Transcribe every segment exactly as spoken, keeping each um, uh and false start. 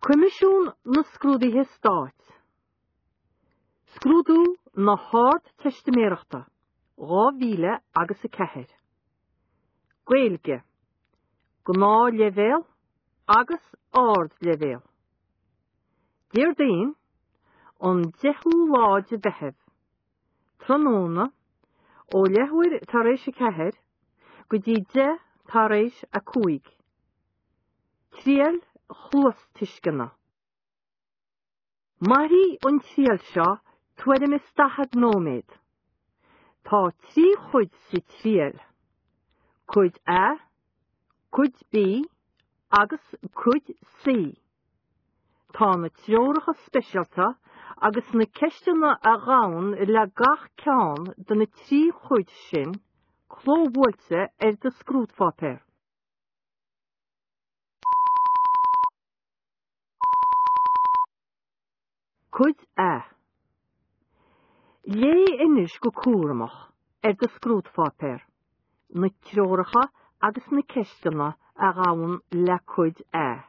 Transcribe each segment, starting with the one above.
Coimisiún na Scrúduithe Stáit. Scrúdú na hArdteistiméireachta, dhá mhíle agus a ceathair. Gaeilge, Gnáthleibhéal agus Ardleibhéal. Déardaoin, an deichiú lá de Mheitheamh. Tráthnóna, ó leathuair tar éis a ceathair go dtí deich tar éis a cúig. Triail chluastuisceana. Mairfidh an triail seo tuairim is daichead nóiméad. Tá trí chuid sa triail, Cuid A, Cuid B agus Cuid C. Tá na treoracha speisialta agus na ceisteanna a ghabhann le gach ceann de na trí chuid sin clóbhuailte ar do scrúdpháipéar. Cuid A. Léigh anois go cúramach ar do scrúdpháipéar, na treoracha agus na ceisteanna a ghabhann le Cuid A.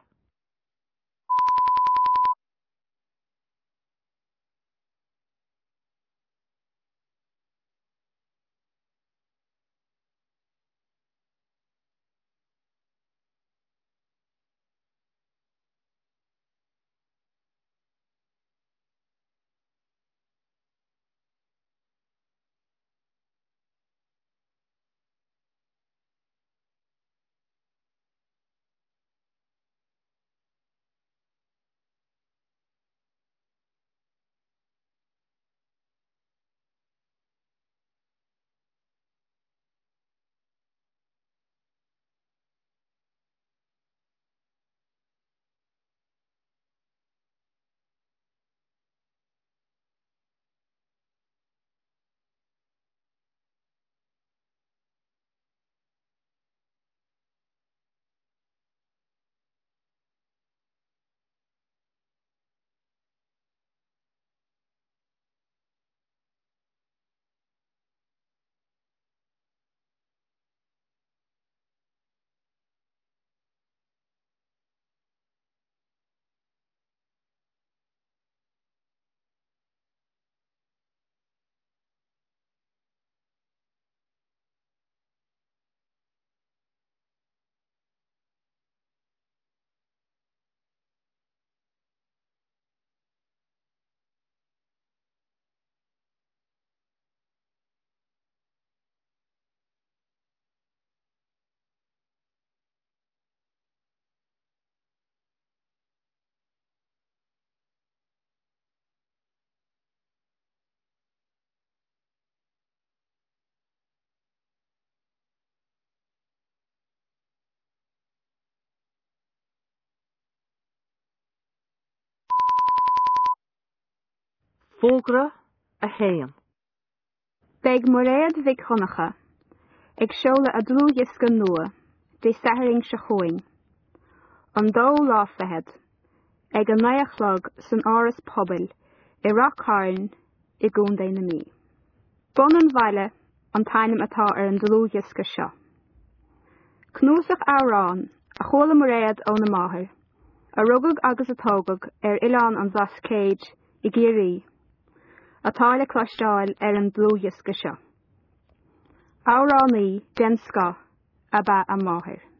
Fógra a haon. Beidh Mairéad Mhic Dhonncha ag seoladh a dlúthdhiosca nua Dé Sathairn seo chugainn, an dóú lá fichead, ag a naoi a chlog san Áras Pobail i Ráth Cairn i gContae na Mí. Bun an Bhaile an t-ainm atá ar an dlúthdhiosca seo. Cnuasach amhrán a chuala Mairéad óna máthair, a rugadh agus a tógadh ar Oileán an Bhlascaoid i gCiarraí, atá le cloisteáil ar an dlúthdhiosca seo. Amhránaí den scoth ab ea a máthair.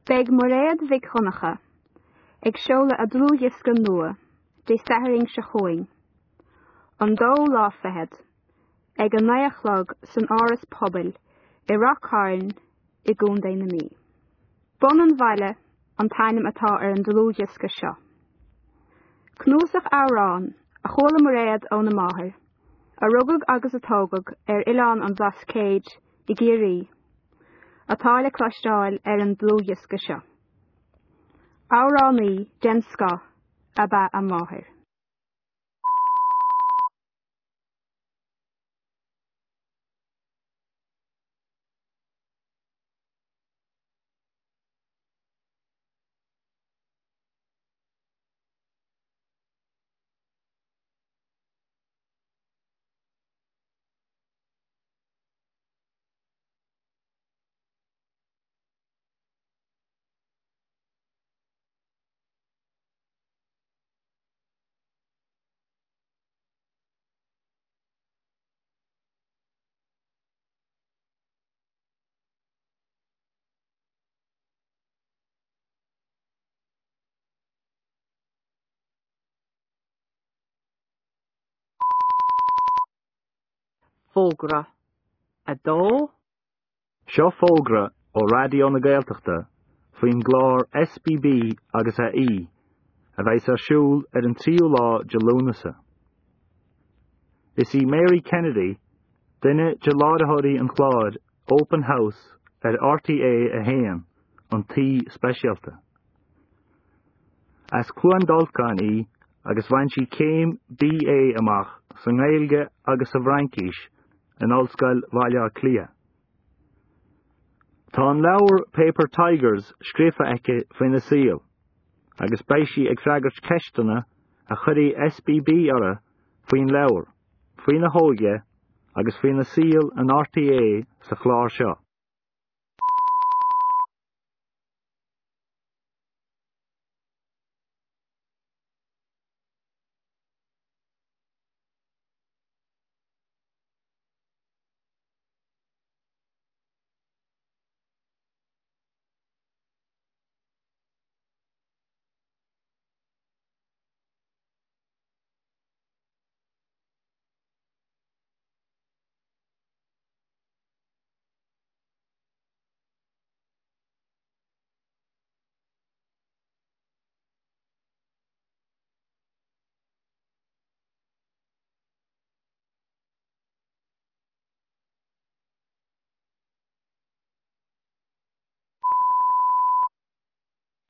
Beidh Mairéad Mhic Dhonncha ag seoladh a dlúthdhiosca nua Dé Sathairn seo chugainn, an dóú lá fichead, ag a naoi a chlog san Áras Pobail i Ráth Cairn i gContae na Mí. Bun an Bhaile an t-ainm atá ar an dlúthdhiosca seo. Cnuasach amhrán a chuala Mairéad óna máthair, a rugadh agus a tógadh ar Oileán an Bhlascaoid i gCiarraí, atá le cloisteáil ar an dlúthdhiosca seo. Amhránaí den scoth ab ea a máthair. Fógra a dó. Seo fógra ó Raidió na Gaeltachta faoin gclár S B B agus a aoi a bheidh ar siúl ar an tríú lá de Lúnasa. Is í Mary Kennedy, duine de láithreoirí an chláir Open House ar R T É a haon, an t-aoi speisialta. As Cluain Dolcáin í agus bhain sí céim B A amach sa nGaeilge agus sa bhFraincis in Ollscoil Bhaile Átha Cliath. Tá an leabhar Paper Tigers scríofa aici faoina saol, agus beidh sí ag freagairt ceisteanna a chuirfidh S B B uirthi faoin leabhar, faoina hóige agus faoina saol in R T É sa chlár seo.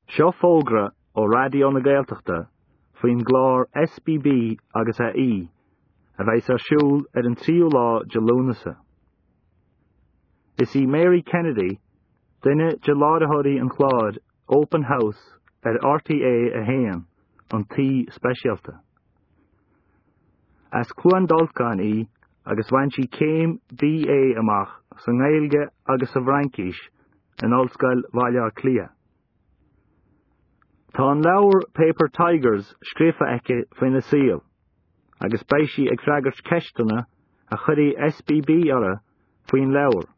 Seo fógra ó Raidió na Gaeltachta faoin gclár S B B agus a aoi a bheidh ar siúl ar an tríú lá de Lúnasa. Is í Mary Kennedy, duine de láithreoirí an chláir Open House ar R T É a haon, an t-aoi speisialta. As Cluain Dolcáin í agus bhain sí céim B A amach sa nGaeilge agus sa bhFraincis in Ollscoil Bhaile Átha Cliath. Tá an leabhar Paper Tigers scríofa aici faoina saol, agus beidh sí ag freagairt ceisteanna a chuirfidh S B B uirthi faoin leabhar,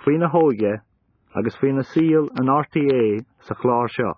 faoina hóige agus faoina saol in R T É sa chlár seo.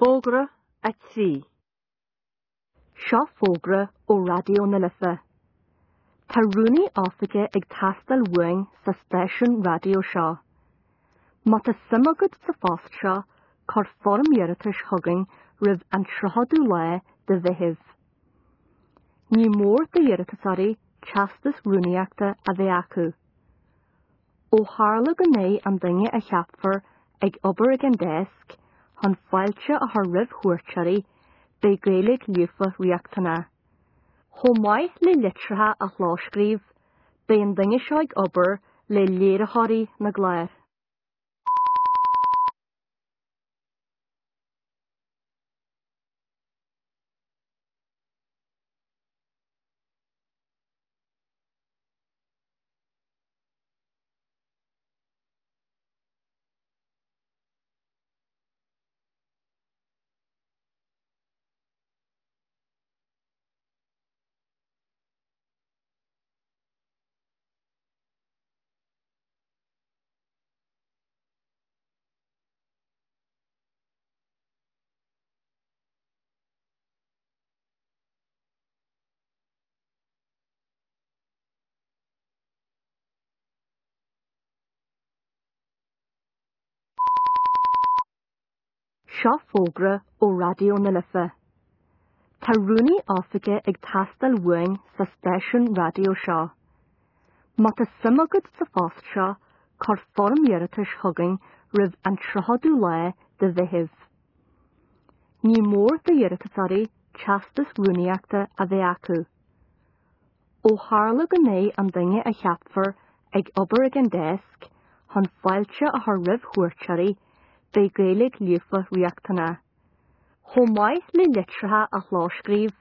Fógra a trí. Seo fógra ó Raidió na Life. Tá rúnaí oifige ag teastáil uainn sa stáisiún raidió seo. Má tá suim agat sa phost seo, cuir foirm iarratais chugainn roimh an tríochadú lá de Mheitheamh. Ní mór d'iarratasóirí teastas rúnaíochta a bheith acu. Ó tharla go mbeidh an duine a cheapfar ag obair ag an deasc chun fáilte a chur roimh chuairteoirí, beidh Gaeilge líofa riachtanach. Chomh maith le litreacha a chlóscríobh, beidh an duine seo ag obair le léiritheoirí na gclár. Seo fógra ó Raidió na Life. Tá rúnaí oifige ag teastáil uainn sa stáisiún raidió seo. Má tá suim agat sa phost seo, cuir foirm iarratais chugainn roimh an tríochadú lá de Mheitheamh. Ní mór d'iarratasóirí teastas rúnaíochta a bheith acu. Ó tharla go mbeidh an duine a cheapfar ag obair ag an deasc chun fáilte a chur roimh chuairteoirí, beidh Gaeilge líofa riachtanach. Chomh maith le litreacha a chlóscríobh,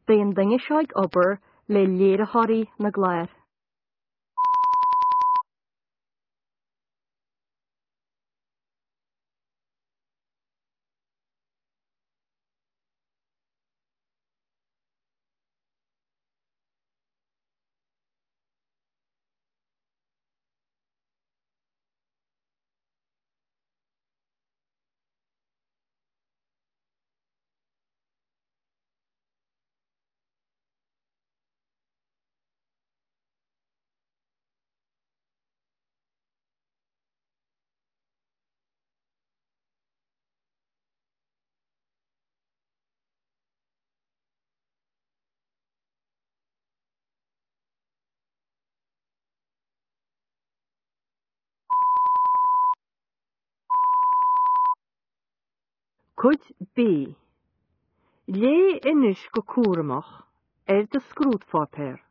beidh an duine seo ag obair le léiritheoirí na gclár. Cuid B. Léigh anois go cúramach ar do scrúdpháipéar,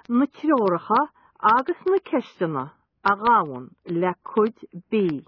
na treoracha agus na ceisteanna a ghabhann le Cuid B.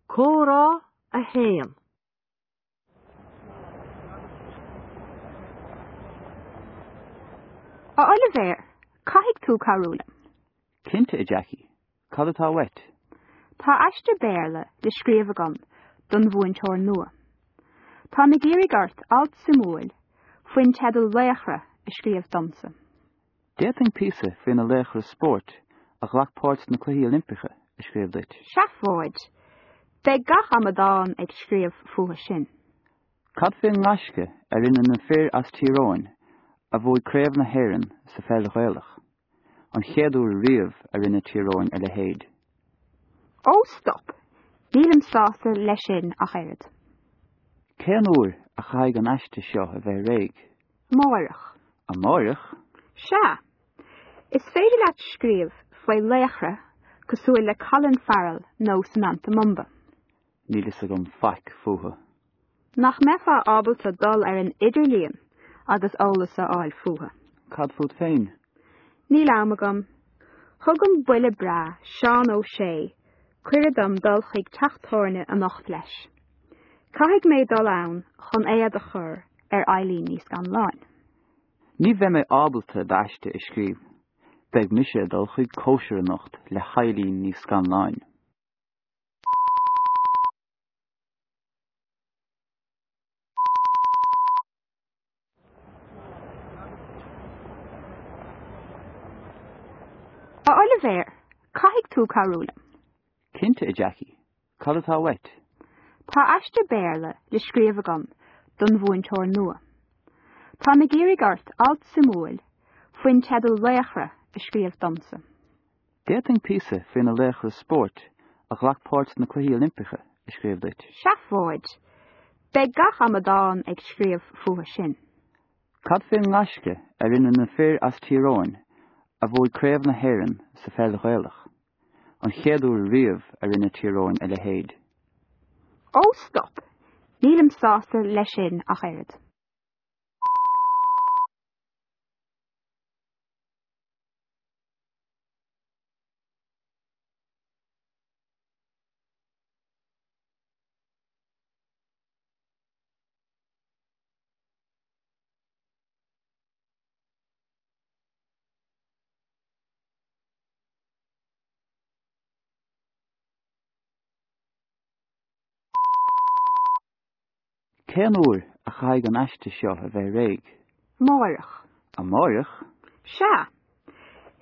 Comhrá a haon. A Oilibhéir, caithfidh tú cabhrú liom. Cinnte a Jackie, cad atá uait? Tá aiste Béarla le scríobh agam don mhúinteoir nua. Táim ag iarraidh ort alt suimiúil faoin teideal Laochra a scríobh domsa. D'fhéadfainn píosa faoi na laochra spóirt a ghlac páirt sna Cluichí Oilimpeacha a scríobh duit. Seafóid, beidh gach amadán ag scríobh fúthu sin. Cad faoin ngaisce a rinne na fir as Tír Eoghain a bhuaigh Craobh na hÉireann sa pheil Ghaelach, an chéad uair riamh a rinne Tír Eoghain a leithéid. Ó stop, nílim sásta leis sin ach oiread. Cén uair a chaithfidh an aiste seo a bheith réidh? Amárach. Amárach? Sea. Is féidir leat scríobh faoi laochra cosúil le Colin Farrell nó Samantha Mumba. Níl fhios agam faic fúthu. Nach mbeifeá ábalta dul ar an idirlíon agus eolas a fháil fúthu. Cad fút féin? Níl am agam. Thug an buille breá Seán Ó Sé cuireadh dom dul chuig teach tábhairne anocht leis. Caithfidh mé dul ann chun éad a chur ar Eilín Ní Scanláin. Ní bheidh mé ábalta d'aiste a scríobh. Beidh mise ag dul chuig cóisir anocht le hEilín Ní Scanláin. A Oilibhéir, caithfidh tú cabhrú liom. Cinnte a Jackie, cad atá uait? Tá aiste Béarla le scríobh agam don mhúinteoir nua. Táim ag iarraidh ort alt suimiúil faoin teideal Laochra a scríobh domsa. D'fhéadfainn píosa faoi na laochra spóirt a ghlac páirt sna Cluichí Oilimpeacha a scríobh duit. Seafóid, beidh gach amadán ag scríobh fúthu sin. Cad faoin ngaisce a rinne na fir as Tír Eoghain a bhuaigh Craobh na hÉireann sa pheil Ghaelach, an chéad uair riamh a rinne Tír Eoghain a leithéid. Ó stop, nílim sásta leis sin ach oiread. Cén uair a chaithfidh an aiste seo a bheith réidh? Amárach. Amárach? Sea.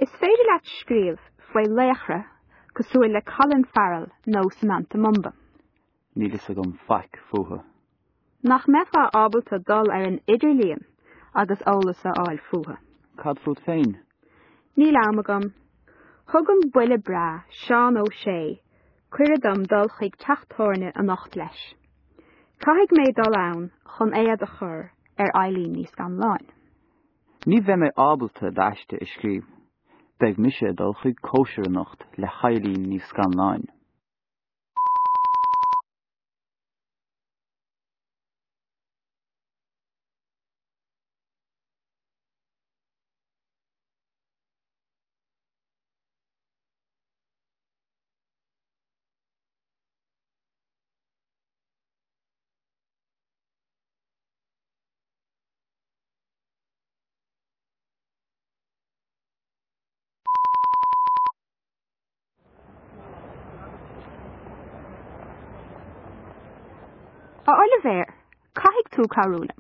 Is féidir leat scríobh faoi laochra cosúil le Colin Farrell nó Samantha Mumba. Níl fhios agam faic fúthu. Nach mbeifeá ábalta dul ar an idirlíon agus eolas a fháil fúthu. Cad fút féin? Níl am agam. Thug an buille breá Seán Ó Sé cuireadh dom dul chuig teach tábhairne anocht leis. Caithfidh mé dul ann chun éad a chur ar Eilín Ní Scanláin. Ní bheidh mé ábalta d'aiste a scríobh. Beidh mise ag dul chuig cóisir anocht le hEilín Ní Scanláin. A Oilibhéir, caithfidh tú cabhrú liom.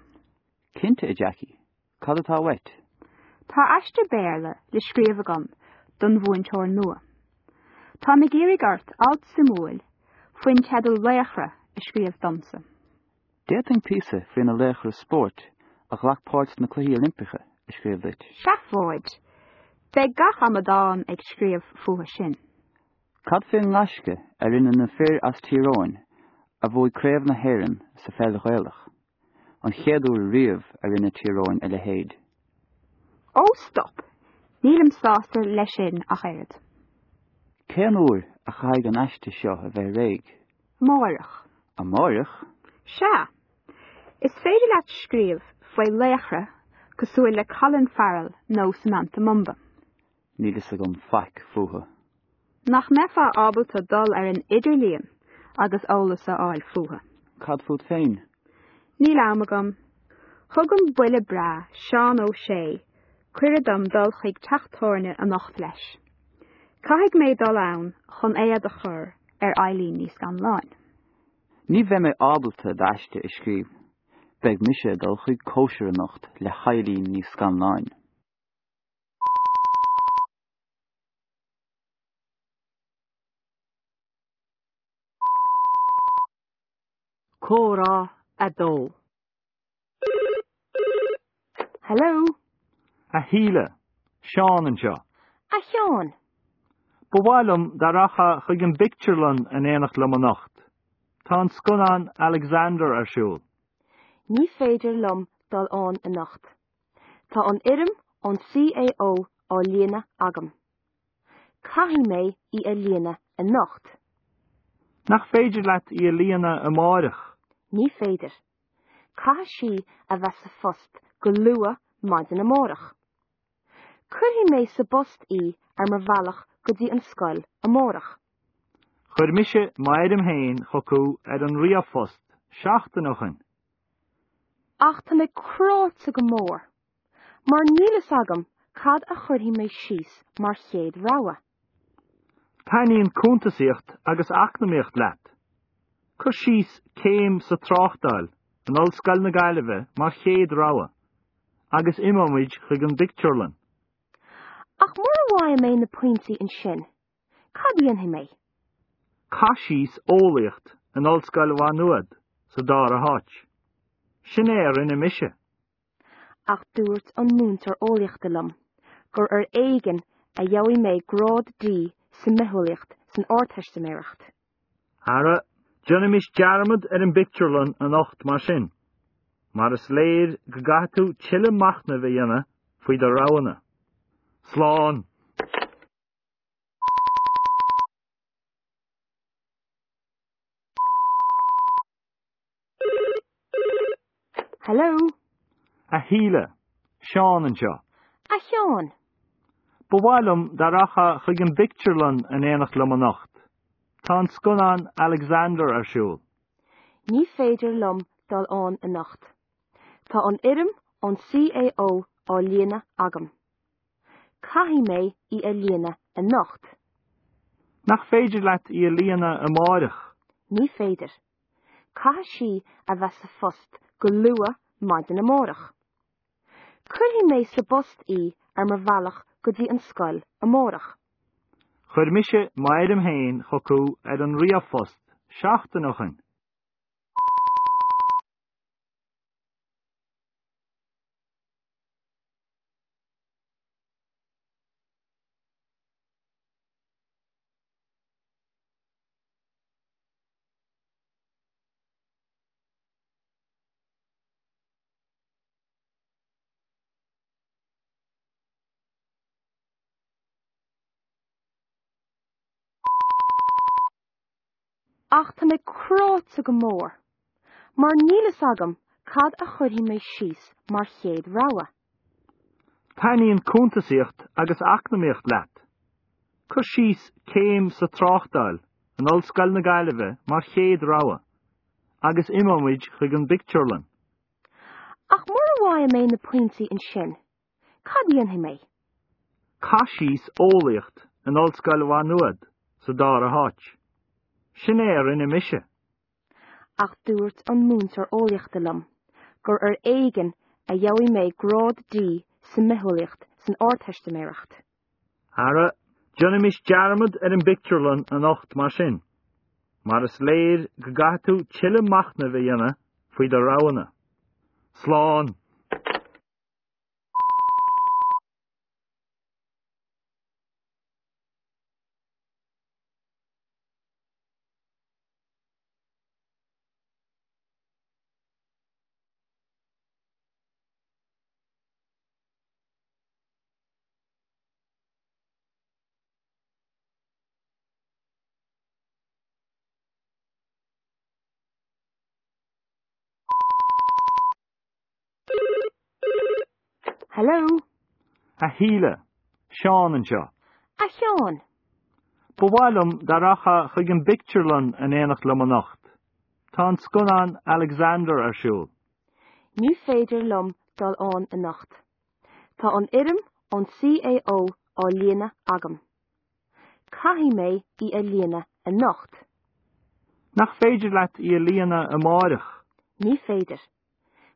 Cinnte a Jackie, cad atá uait? Tá aiste Béarla le scríobh agam don mhúinteoir nua. Táim ag iarraidh ort alt suimiúil faoin teideal Laochra a scríobh domsa. D'fhéadfainn píosa faoi na laochra spóirt a ghlac páirt sna Cluichí Oilimpeacha a scríobh duit. Seafóid, beidh gach amadán ag scríobh fúthu sin. Cad faoin ngaisce a rinne na fir as Tír Eoghain a bhuaigh Craobh na hÉireann sa pheil Ghaelach, an chéad uair riamh a rinne Tír Eoghain a leithéid. Ó stop, nílim sásta leis sin ach oiread. Cén uair a chaithfidh an aiste seo a bheith réidh? Amárach. Amárach? Sea. Is féidir leat scríobh faoi laochra cosúil le Colin Farrell nó Samantha Mumba. Níl fhios agam faic fúthu. Nach mbeifeá ábalta dul ar an idirlíon agus eolas a fháil fúthu. Cad fút féin? Níl am agam. Thug an buille breá Seán Ó Sé, cuireadh dom dul chuig teach tábhairne anocht leis. Caithfidh mé dul ann chun éad a chur ar Eilín Ní Scanláin. Ní bheidh mé ábalta d'aiste a scríobh. Beidh mise ag dul chuig cóisir anocht le hEilín Ní Scanláin. Comhrá a dó. Hello? A Shíle, Seán anseo. A Sheáin. Ba mhaith liom dá rachfá chuig an bpictiúrlann in éineacht liom anocht. Tá an scannán Alexander ar siúl. Ní féidir liom dul ann anocht. Tá an fhoirm ón CAO á líonadh agam. Caithfidh mé í a líonadh anocht. Nach féidir leat í a líonadh amárach? Ní féidir. Caithfidh sí a bheith sa phost go luath maidin amárach. Cuirfidh mé sa bpost í ar mo bhealach go dtí an scoil amárach. Chuir mise m'fhoirm féin chucu ar an ríomhphost seachtain ó shin. Ach tá mé cráite go mór, mar níl a fhios agam cad a chuirfidh mé síos mar chéad rogha. Taitníonn cuntasaíocht agus eacnamaíocht leat. Cuir síos céim sa tráchtáil in Ollscoil na Gaillimhe mar chéad rogha, agus imeoimid chuig an bpictiúrlann. Ach mura bhfaighidh mé na pointí ansin, cad a dhéanfaidh mé? Caith síos eolaíocht in Ollscoil Mhá Nuad sa dara háit. Sin é a rinne mise. Ach dúirt an múinteoir eolaíochta liom gur ar éigean a gheobhaidh mé grád D sa mbitheolaíocht san Ardteistiméireacht. Ara, déanaimis dearmad ar an bpictiúrlann anocht mar sin, mar is léir go gcaithfidh tú tuilleadh machnaimh a dhéanamh faoi do roghanna. Slán! Hello? A Shíle, Seán anseo. A Sheáin. Ba mhaith liom dá rachfá chuig an bpictiúrlann in éineacht liom anocht. Tá an scannán Alexander ar siúl. Ní féidir liom dul ann anocht. Tá an fhoirm ón CAO á líonadh agam. Caithfidh mé í a líonadh anocht. Nach féidir leat í a líonadh amárach? Ní féidir. Caithfidh sí a bheith sa phost go luath maidin amárach. Cuirfidh mé sa bpost í ar mo bhealach go dtí an scoil amárach. Chuir mise m'fhoirm féin chucu ar an ríomhphost seachtain ó shin. Ach tá mé cráite go mór, mar níl a fhios agam cad a chuirfidh mé síos mar chéad rogha. Taitníonn cuntasaíocht agus eacnamaíocht leat. Cuir síos céim sa tráchtáil in Ollscoil na Gaillimhe mar chéad rogha, agus imeoimid chuig an bpictiúrlann. Ach mura bhfaighidh mé na pointí ansin, cad a dhéanfaidh mé? Caith síos eolaíocht in Ollscoil Mhá Nuad sa dara háit. Sin é a rinne mise. Ach dúirt an múinteoir eolaíochta liom gur ar éigean a gheobhaidh mé grád D sa mbitheolaíocht san Ardteistiméireacht. Ara, déanaimis dearmad ar an bpictiúrlann anocht mar sin, mar is léir go gcaithfidh tú tuilleadh machnaimh a dhéanamh faoi do roghanna. Slán! Hello? A Shíle, Seán anseo. A Sheáin. Ba mhaith liom dá rachfá chuig an bpictiúrlann in éineacht liom anocht. Tá an scannán Alexander ar siúl. Ní féidir liom dul ann anocht. Tá an fhoirm ón CAO á líonadh agam. Caithfidh mé í a líonadh anocht. Nach féidir leat í a líonadh amárach? Ní féidir.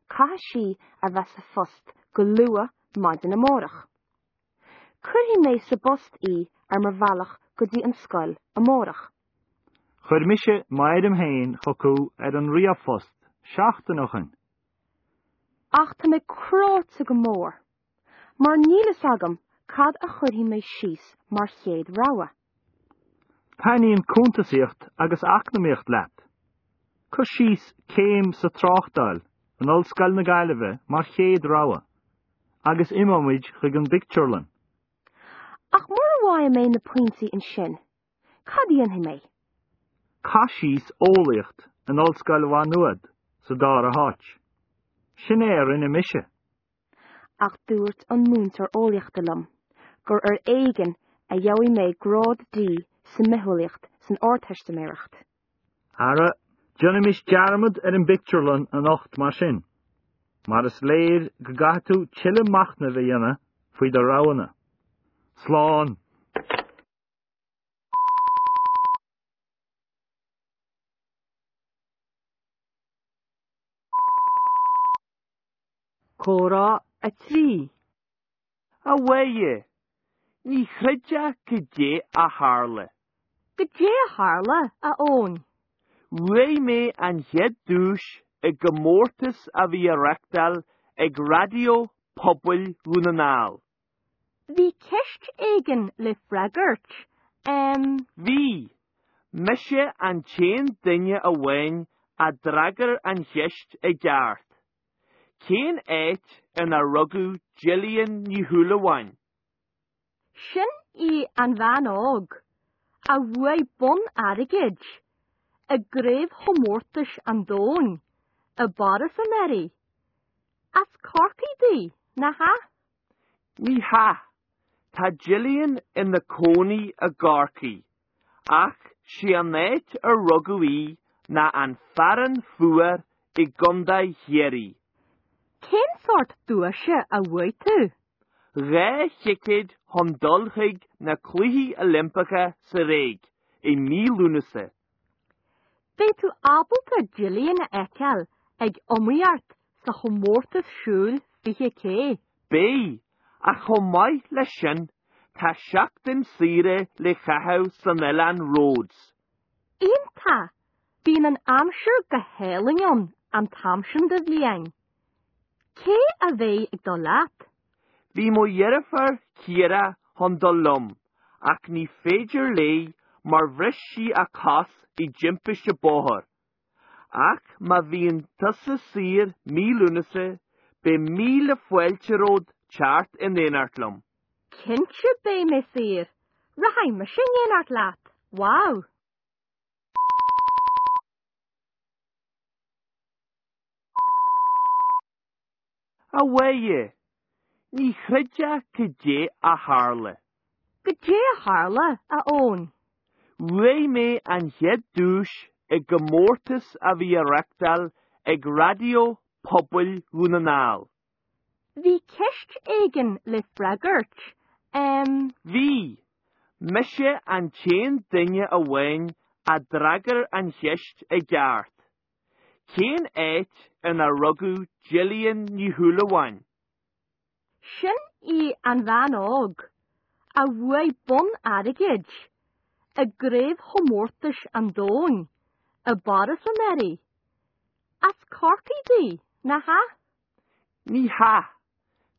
Caithfidh sí a bheith sa phost go luath maidin amárach. Cuirfidh mé sa bpost í ar mo bhealach go dtí an scoil amárach. Chuir mise m'fhoirm féin chucu ar an ríomhphost seachtain ó shin. Ach tá mé cráite go mór, mar níl a fhios agam cad a chuirfidh mé síos mar chéad rogha. Taitníonn cuntasaíocht agus eacnamaíocht leat. Cuir síos céim sa tráchtáil in Ollscoil na Gaillimhe mar chéad rogha, agus imeoimid chuig an bpictiúrlann. Ach mura bhfaighe mé na pointí ansin, cad a dhéanfaidh mé? Caith síos eolaíocht in Ollscoil Mhá Nuad sa dara háit. Sin é a rinne mise. Ach dúirt an múinteoir eolaíochta liom gur ar éigean a gheobhaidh mé grád D sa mbitheolaíocht san Ardteistiméireacht. Ara, déanaimis dearmad ar an bpictiúrlann anocht mar sin, mar is léir go gcaithfidh tú tuilleadh machnaimh a dhéanamh faoi do roghanna. Slán! Comhrá a trí. A Mháire, ní chreidfeá cad é a tharla. Cad é a tharla, a Eoin. Bhuaigh mé an chéad duais i gcomórtas a bhí á reáchtáil ag Raidió Pobail Dhún na nGall. Bhí ceist éigin le freagairt. Um, Bhí, mise an t-aon duine amháin a d'fhreagair an cheist i gceart. Cén áit ina rugadh Gillian Ní Shúilleabháin? Sin í an bhean óg, a bhuaigh bonn airgid, i gcraobhchomórtais an domhain, i bPáras anuraidh. As Corcaigh di, nach ea? Ní hea, tá Gillian ina cónaí i gCorcaigh, ach sí an áit a rugadh í ná an Fearann Fuar i gContae Chiarraí. Cén sórt duaise a bhuaigh tú? Dhá thicéad chun dul chuig na Cluichí Oilimpeacha sa Fhrainc i mí Lúnasa. Beidh tú ábalta Gillian a fheiceáil ag iomaíocht sa chomórtas siúil fiche K. Beidh, ach chomh maith leis sin, tá seachtain saoire le caitheamh san oileán Rhodes. Iontach! Bíonn an aimsir go hálainn ann an t-am sin de bhliain. Cé a bheidh ag dul leat? Bhí mo dheirfiúr Ciara chun dul liom, ach ní féidir léi mar bhris sí a cos i dtimpiste bóthair. Ach má bhíonn tusa saor mí Lúnasa, beidh míle fáilte romhat teacht in éineacht liom. Cinnte beidh mé saor. Rachaidh mise in éineacht leat. Wow! A Mháire, ní chreidfeá cad é a tharla. Cad é a tharla, a Eoin. Bhuaigh mé an chéad duais i gcomórtas a bhí á reáchtáil ag Raidió Pobail Dhún na nGall. Bhí ceist éigin le freagairt. Um, Bhí, mise an t-aon duine amháin a d'fhreagair an cheist i gceart. Cén áit ina rugadh Gillian Ní Shúilleabháin? Sin í an bhean óg, a bhuaigh bonn airgid, i gcraobhchomórtais an domhain, i bPáras anuraidh. As Corcaigh di, nach ea? Ní hea,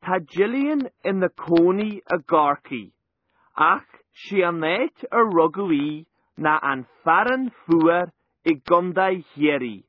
tá Gillian ina cónaí i gCorcaigh, ach sí an áit a rugadh í ná an Fearann Fuar i gContae Chiarraí.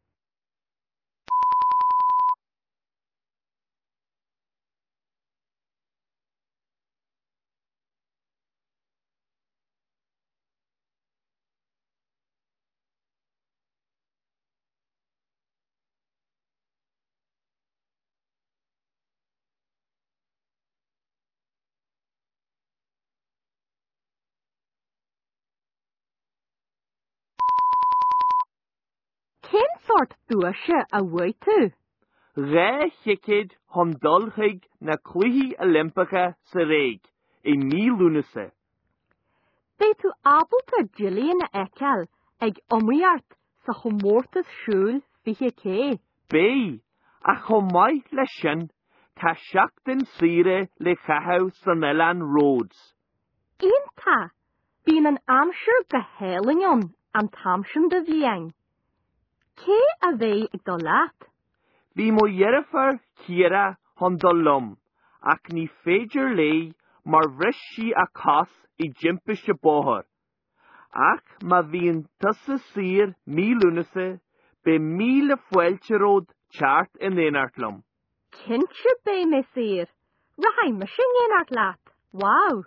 Cén sórt duaise a bhuaigh tú? Dhá thicéad chun dul chuig na Cluichí Oilimpeacha sa Fhrainc i mí Lúnasa. Beidh tú ábalta Gillian a fheiceáil ag iomaíocht sa chomórtas siúil fiche K. Beidh, ach chomh maith leis sin, tá seachtain saoire le caitheamh san oileán Rhodes. Iontach! Bíonn an aimsir go hálainn ann an t-am sin de bhliain. Cé a bheidh ag dul leat? Bhí mo dheirfiúr Ciara chun dul liom, ach ní féidir léi mar bhris sí a cos i dtimpiste bóthair. Ach má bhíonn tusa saor mí Lúnasa, beidh míle fáilte romhat teacht in éineacht liom. Cinnte beidh mé saor. Rachaidh mise in éineacht leat. Wow!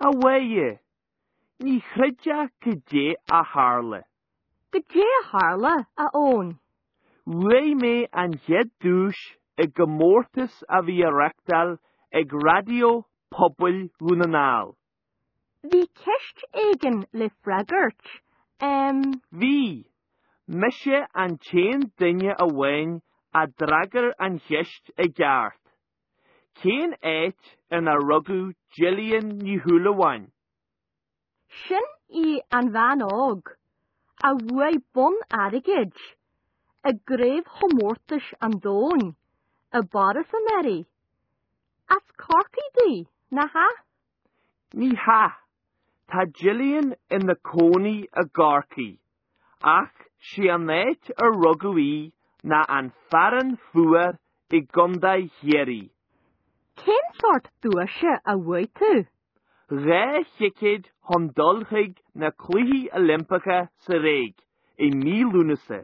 A Mháire, ní chreidfeá cad é a tharla. Cad é a tharla, a Eoin. Bhuaigh mé an chéad duais i gcomórtas a bhí á reáchtáil ag Raidió Pobail Dhún na nGall. Bhí ceist éigin le freagairt. Um... Bhí. Mise an t-aon duine amháin a d'fhreagair an cheist i gceart. Cén áit inar rugadh Gillian Ní Shúilleabháin? Sin í an bhean óg a bhuaigh bonn airgid i gcraobhchomórtais an domhain i bPáras anuraidh. As Corcaigh di, nach ea? Ní hea. Tá Gillian ina cónaí i gCorcaigh, ach sí an áit ar rugadh í ná an Fearann Fuar i gContae Chiarraí. Cén sórt duaise a bhuaigh tú? Dhá thicéad chun dul chuig na Cluichí Oilimpeacha sa Fhrainc i mí Lúnasa.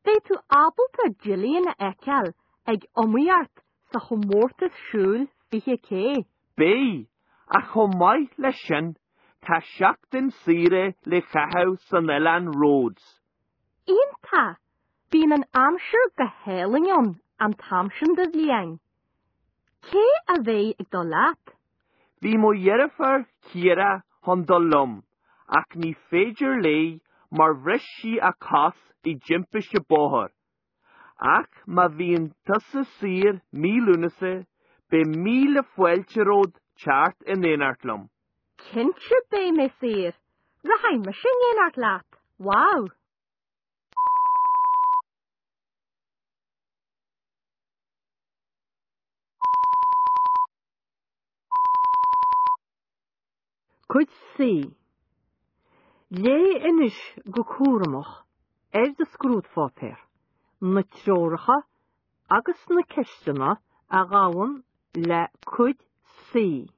Beidh tú ábalta Gillian a fheiceáil ag iomaíocht sa chomórtas siúil fiche K. Beidh, ach chomh maith leis sin, tá seachtain saoire le caitheamh san oileán Rhodes. Iontach! Bíonn an aimsir go hálainn ann an t-am sin de bhliain. Cé a bheidh ag dul leat? Bhí mo dheirfiúr Ciara chun dul liom, ach ní féidir léi mar bhris sí a cos i dtimpiste bóthair. Ach má bhíonn tusa saor mí Lúnasa, beidh míle fáilte romhat teacht in éineacht liom. Cinnte beidh mé saor. Rachaidh mise in éineacht leat. Wow! Cuid C. Léigh anois go cúramach ar do scrúdpháipéar, na treoracha agus na ceisteanna a ghabhann le Cuid C.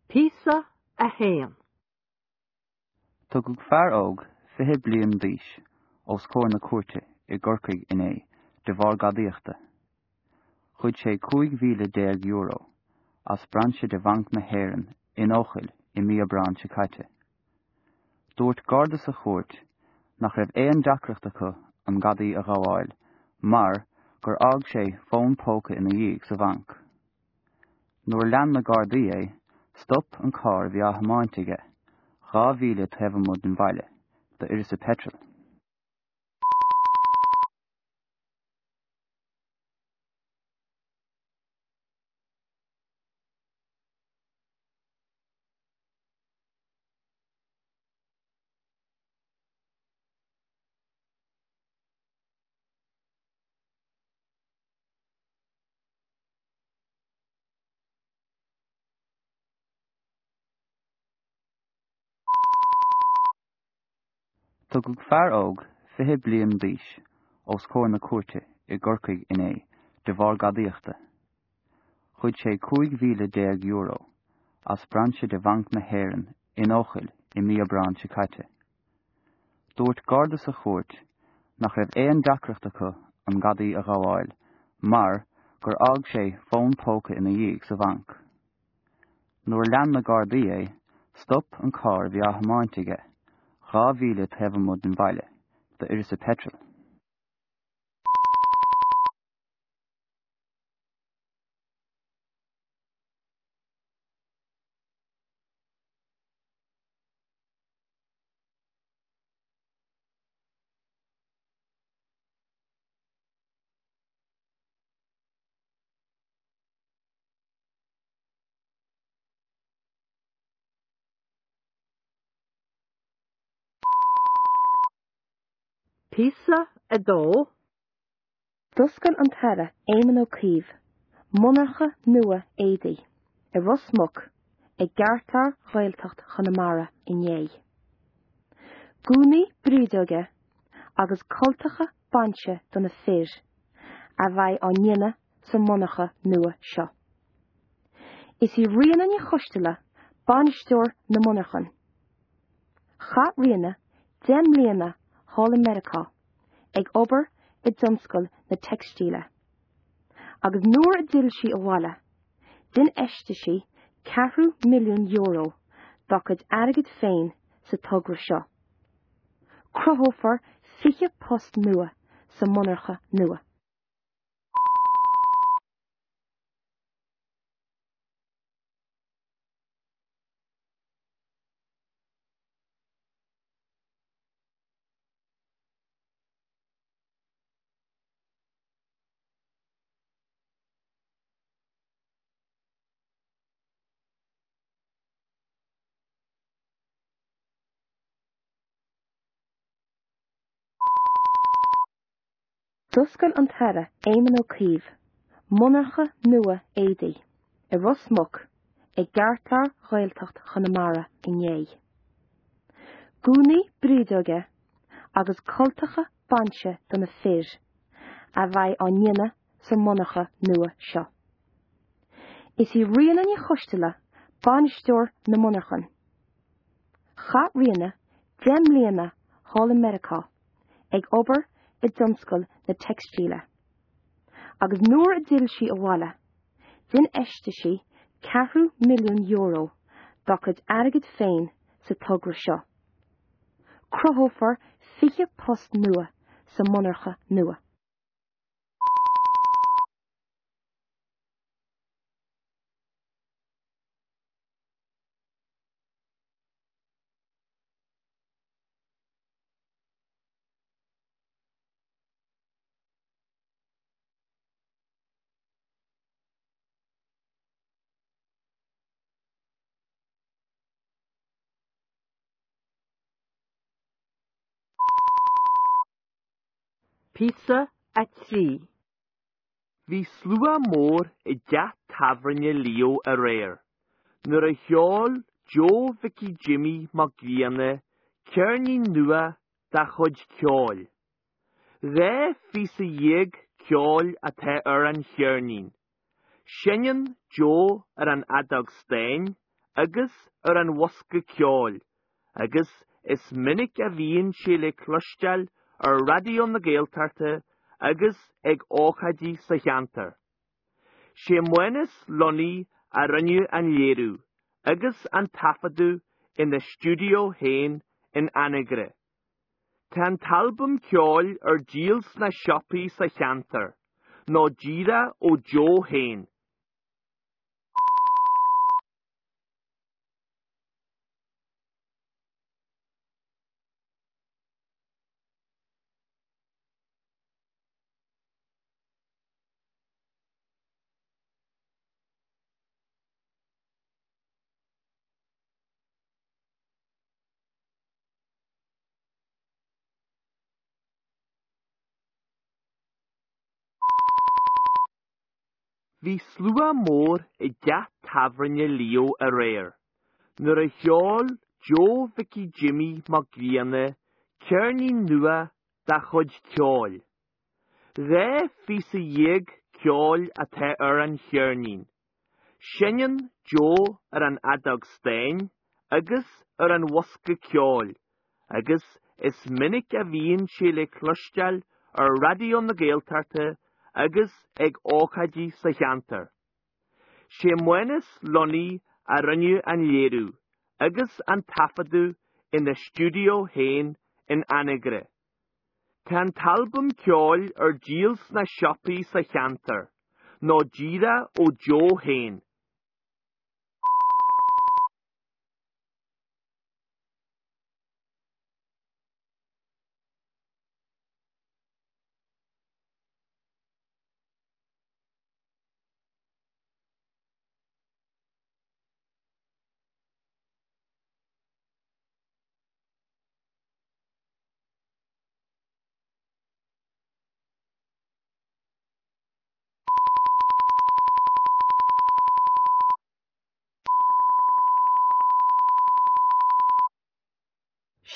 Píosa a haon. Tugadh fear óg fiche bliain d'aois os comhair na cúirte i gCorcaigh inné de bharr gadaíochta. Ghoid sé cúig mhíle déag euro as brainse de Bhanc na hÉireann in Eochaill i mí Aibreáin seo caite. Dúirt Garda sa chúirt nach raibh aon deacracht acu an gadaí a ghabháil mar gur fhág sé fón póca ina dhiaidh sa bhanc. Nuair a lean na Gardaí é, stop an carr a bhí á thiomáint aige, dhá mhíle taobh amuigh den bhaile, d'uireasa peitril. Tugadh fear óg fiche bliain d'aois os comhair na cúirte i gCorcaigh inné de bharr gadaíochta. Ghoid sé cúig mhíle déag euro as brainse de Bhanc na hÉireann in Eochaill i mí Aibreáin seo caite. Dúirt Garda sa chúirt nach raibh aon deacracht acu an gadaí a ghabháil mar gur fhág sé fón póca ina dhiaidh sa bhanc. Nuair a lean na Gardaí é, stop an carr a bhí á thiomáint aige, dhá mhíle taobh amuigh den bhaile, d'uireasa peitril. Píosa a dó. D'oscail an tAire Éamon Ó Cuív monarcha nua éadaí i Ros Muc i gceartlár Ghaeltacht Chonamara inné. Gúnaí brídeoige agus cultacha bainse do na fir a bheidh á ndéanamh sa monarcha nua seo. Is í Ríona Ní Choisteala bainisteoir na monarchan. Chaith Ríona deich mbliana thall i Meiriceá ag obair i dtionscal na teicstíle. Agus nuair a d'fhill sí abhaile, d'infheistigh sí ceathrú milliún euro dá cuid airgid féin sa togra seo. Cruthófar fiche post nua sa monarcha nua. D'oscail an tAire Éamon Ó Cuív monarcha nua éadaí i Ros Muc i gceartlár Ghaeltacht Chonamara inné. Gúnaí brídeoige agus cultacha bainse do na fir a bheidh á ndéanamh sa monarcha nua seo. Is í Ríona Ní Choisteala bainisteoir na monarchan. Chaith Ríona deich mbliana thall i Meiriceá ag obair i dtionscal na teicstíle. Agus nuair a d'fhill sí abhaile, d'infheistigh sí ceathrú milliún euro dá cuid airgid féin sa togra seo. Cruthófar fiche post nua sa monarcha nua. Píosa a trí. Bhí slua mór i dteach tábhairne Leo aréir, nuair a sheol Joe Mhicí Jimmy Mac Grianna ceirnín nua dá chuid ceoil. Dhá phíosa dhéag ceoil atá ar an cheirnín. Seinneann Joe ar an fheadóg stáin agus ar an bhosca ceoil, agus is minic a bhíonn sé le cloisteáil ar Raidió na Gaeltachta agus ag ócáidí sa cheantar. Sé Muinis Lunny a rinne an léiriú agus an taifeadadh ina stiúideo féin in Anagaire. Tá an t-albam ceoil ar díol sna siopaí sa cheantar, nó díreach ó Joe féin. Bhí slua mór i dteach tábhairne Leo aréir, nuair a sheol Joe Mhicí Jimmy Mac Grianna ceirnín nua dá chuid ceoil. Dhá phíosa dhéag ceoil atá ar an cheirnín. Seinneann Joe ar an fheadóg stáin agus ar an bhosca ceoil, agus is minic a bhíonn sé le cloisteáil ar Raidió na Gaeltachta agus ag ócáidí sa cheantar. Sé Muinis Lunny a rinne an léiriú agus an taifeadadh ina stiúideo féin in Anagaire. Tá an t-albam ceoil ar díol sna siopaí sa cheantar, nó díreach ó Joe féin.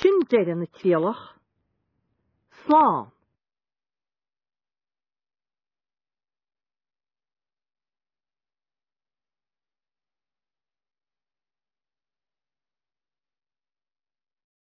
Sin deireadh na trialach. Slán.